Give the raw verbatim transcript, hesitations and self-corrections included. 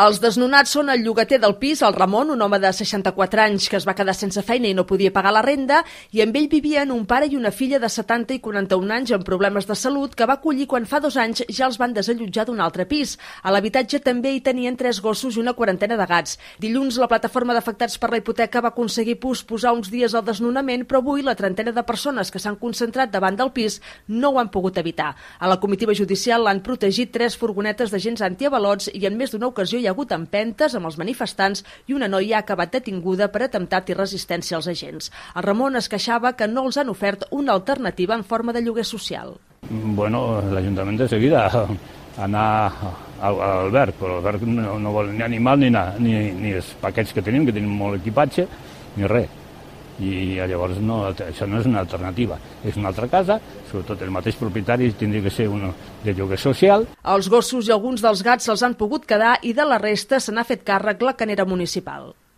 Els desnonats són el llogater del pis, el Ramon, un home de seixanta-quatre anys que es va quedar sense feina i no podia pagar la renda, i amb ell vivien un pare i una filla de setanta i quaranta-un anys amb problemes de salut que va acollir quan fa dos anys ja els van desallotjar d'un altre pis. A l'habitatge també hi tenien tres gossos i una quarantena de gats. Dilluns, la plataforma d'afectats per la hipoteca va aconseguir posposar uns dies el desnonament, però avui la trentena de persones que s'han concentrat davant del pis no ho han pogut evitar. A la comitiva judicial l'han protegit tres furgonetes d'agents antiavalots i en més d'una ocasió hi ha hagut empentes amb els manifestants i una noia ha acabat detinguda per atemptat i resistència als agents. El Ramon es queixava que no els han ofert una alternativa en forma de lloguer social. Bueno, l'Ajuntament de seguida anar al Albert, però l'Albert no, no vol ni animal ni, anar, ni, ni els paquets que tenim, que tenim molt equipatge, ni res. I llavors no, això no és una alternativa. És una altra casa, sobretot el mateix propietari tindria que ser un de lloguer social. Els gossos i alguns dels gats se'ls han pogut quedar i de la resta se n'ha fet càrrec la canera municipal.